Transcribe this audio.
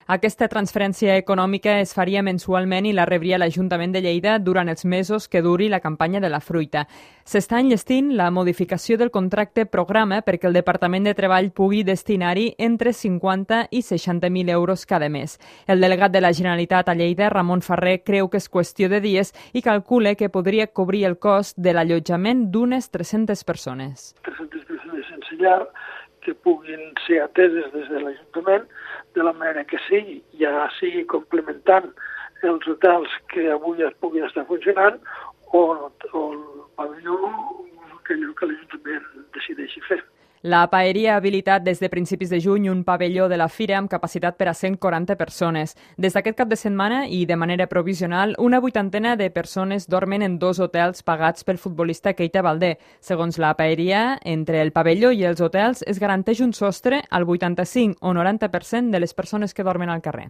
Aquesta transferència econòmica es faria mensualment i la rebria l'Ajuntament de Lleida durant els mesos que duri la campanya de la fruita. S'està enllestint la modificació del contracte programa perquè el Departament de Treball pugui destinar-hi entre 50 i 60.000 euros cada mes. El delegat de la Generalitat a Lleida, Ramon Ferrer, creu que és qüestió de dies i calcula que podria cobrir el cost de l'allotjament d'unes 300 persones. 300 persones sense llar que puguin ser ateses des de l'Ajuntament de la manera que sigui, ja sigui complementant els hotels que avui es puguin estar funcionant o el pavelló que l'Ajuntament decideixi fer. La Paeria ha habilitat des de principis de juny un pavelló de la fira amb capacitat per a 140 persones. Des d'aquest cap de setmana i de manera provisional, una 80ena de persones dormen en 2 hotels pagats pel futbolista Keita Baldé. Segons la Paeria, entre el pavelló i els hotels es garanteix un sostre al 85 o 90% de les persones que dormen al carrer.